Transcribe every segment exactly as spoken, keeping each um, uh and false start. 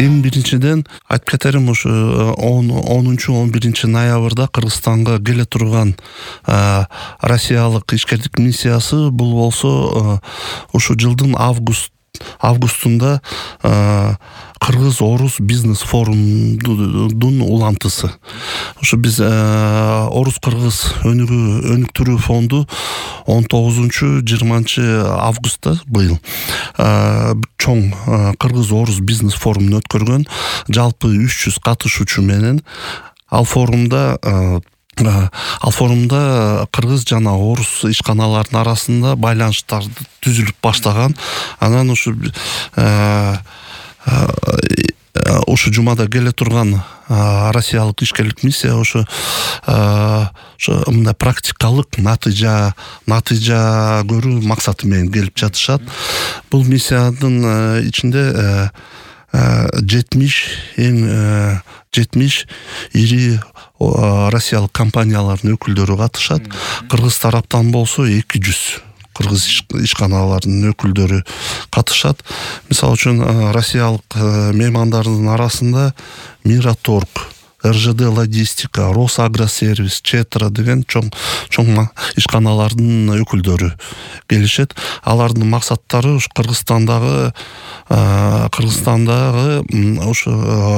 Эң биринчиден айтып кетерим, ушу онунчу он биринчи ноябрда Кыргызстанга келе турган Россиялык ишкерлик миссиясы бул болсо ушу жылдын август августунда Кыргыз-Орус бизнес форумдун улантысы. Ушу биз Орус-Кыргыз өнүктүрүү фонду он тогузунчу жыйырманчы августта быйыл чоң Кыргыз-Орус бизнес форумун өткөргөн. Жалпы үч жүз катышуучу менен ал форумда Ал форумда кыргыз жана орус ишканаларынын арасында байланыштар түзүлүп баштаган. Анан ушу ушу жумада келе турган Россиялык ишкерлик миссия ушу ошо мындай практикалык натыйжа натыйжа көрүү максаты менен келип жатышат. Бул миссиянын ичинде жетимиш эң жетимиш ири Россиялык компаниялардын өкүлдөрү катышат. Кыргыз тараптан болсо эки жүз кыргыз ишканаларынын өкүлдөрү катышат. Мисалы үчүн Россиялык меймандардын арасында Мираторг, эр жэ дэ Логистика, Росагросервис, Четра деген чоң чоң ишканалардын өкүлдөрү келишет. Алардын максаттары ушу Кыргызстандагы Кыргызстандагы ушу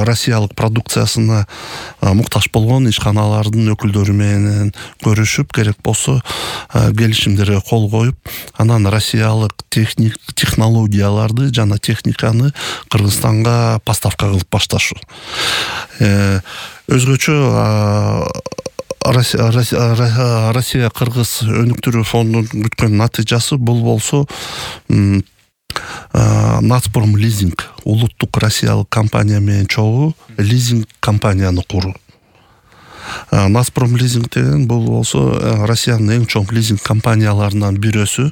Россиялык продукциясына муктаж болгон ишканалардын өкүлдөрү менен көрүшүп, керек болсо келишимдерге кол коюп, анан Россиялык техник технологияларды жана техниканы Кыргызстанга поставка кылып башташуу. Өзгөчө Россия Кыргыз өнүктүрүү фондунун күткөн натыйжасы бул болсо Нацпром лизинг, улуттук Россиялык компания менен чогуу лизинг компанияны куруу. Нацпром лизинг деген бул болсо Россиянын эң чоң лизинг компанияларынан бирөөсү.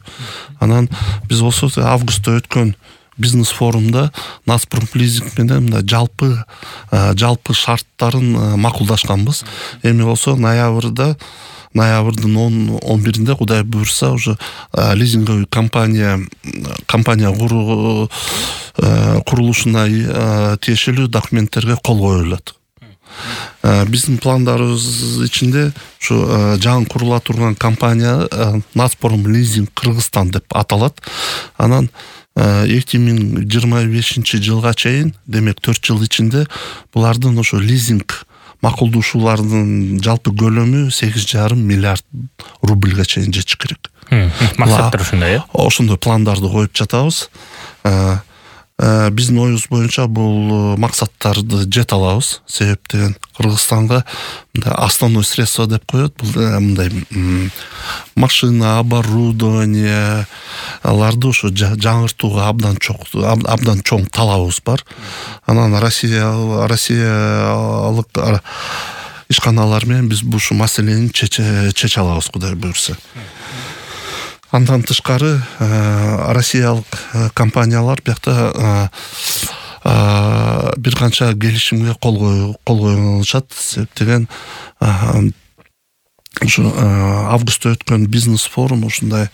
Анан биз болсо августта өткөн бизнес форумда Нацпром лизинг менен мындай жалпы жалпы шарттарын макулдашканбыз. Эми болсо ноябрда ноябрдын он биринде Кудай буйрса уже лизинговый компания компания куруу курулушуна тиешелүү документтерге кол коюлат. Биздин пландарыбыз ичинде ушу жаңы курула турган компания Нацпром лизинг Кыргызстан деп аталат. Анан эки миң жыйырма бешинчи жылга чейин, демек төрт жыл ичинде булардын ошо лизинг макулдашуулардын жалпы көлөмү сегиз жарым миллиард рубльга чейин жетиш керек. Максаттар ушундай, э? Ошондой пландарды коюп жатабыз. Биздин оюбуз боюнча бул максаттарды жете алабыз. Себеп деген Кыргызстанга мындай основной средство деп коет. Бул мындай машина, оборудование аларды ошо жаңыртууга абдан чоң абдан чоң талабыбыз бар. Анан Россия Россиялык ишканалар менен биз бул маселени чече алабыз, Кудай буйрса. Андан тышкары Россиялык компаниялар биякта бир канча келишимге кол коюлушат. Деген ушу августта өткөн бизнес форум ушундай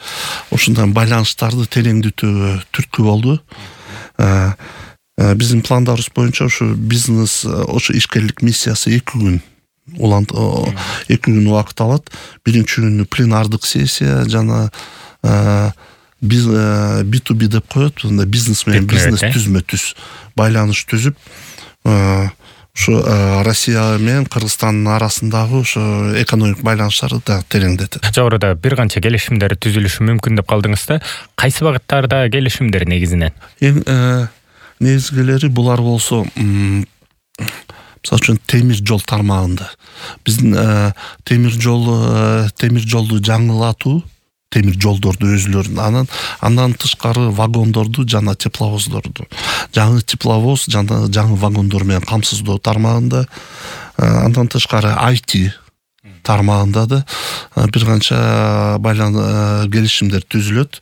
ушундай байланыштарды тереңдетүүгө түрткү болду. Биздин пландарыбыз боюнча ушу бизнес ушу ишкерлик миссиясы эки күн улант эки күн убакыт алат. Биринчи күнү пленардык сессия жана би ту би деп коет, мындай бизнес менен бизнес түзмө түз байланыш түзүп, ушу Россия менен Кыргызстандын арасындагы ушу экономик байланыштарды да тереңдетет. Жогоруда бир канча келишимдер түзүлүшү мүмкүн деп калдыңыз да. Кайсы багыттарда келишимдер негизинен? Эң негизгилери булар болсо, мисалы үчүн темир жол тармагында. Биздин темир жол темир жолду жаңылатуу, темир жолдорду өзүлөрүн, анан андан тышкары вагондорду жана тепловоздорду, жаңы тепловоз жана жаңы вагондор менен камсыздоо тармагында, андан тышкары ай ти тармагында да бир канча байлан келишимдер түзүлөт.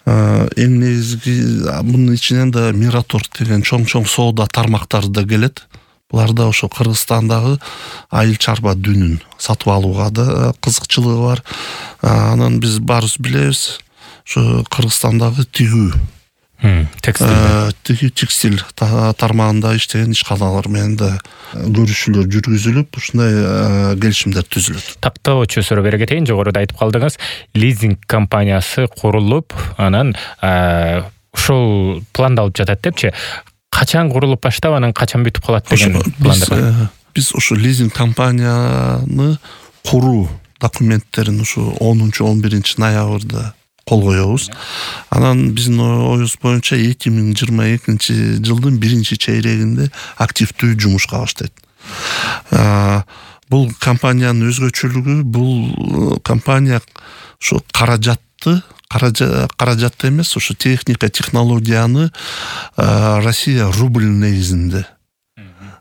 Эң негизги мунун ичинен да Мираторг деген чоң-чоң соода тармактары да келет. Буларда ошо Кыргызстандагы айыл чарба дүнүн сатып алууга да кызыкчылыгы бар. Анан биз баарыбыз билебиз, ошо Кыргызстандагы тигүү текстиль текстиль тармагында иштеген ишканалар менен да көрүшүүлөр жүргүзүлүп ушундай келишимдер түзүлөт. Тактоочу суроо бере кетейин. Жогоруда айтып калдыңыз, лизинг компаниясы курулуп, анан ушул пландалып жатат депчи. Качан курулуп баштап, анан качан бүтүп калат деген пландар? Биз ушу лизинг компанияны куруу документтерин ушу онунчу он биринчи ноябрда кол коебуз. Анан биздин оюбуз боюнча эки миң жыйырма экинчи жылдын биринчи чейрегинде активдүү жумушка баштайт. Бул компаниянын өзгөчөлүгү, бул компания ушу каражатты каражатты эмес, ушу техника, технологияны Россия рубль негизинде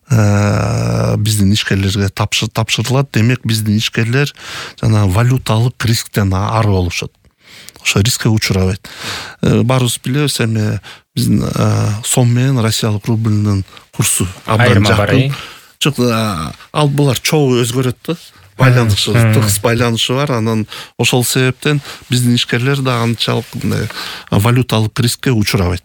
биздин ишкерлерге тапшырылат. Демек биздин ишкерлер жана валюталык рисктен ары болушат. Ошо рискке учурабайт. Баарыбыз билебиз, эми биздин сом менен россиялык рубльдин курсу абдан жакын. Жок, ал булар чогуу өзгөрөт да. Байланышы, тыгыз байланышы бар. Анан ошол себептен биздин ишкерлер да анчалык валюталык рискке учурабайт.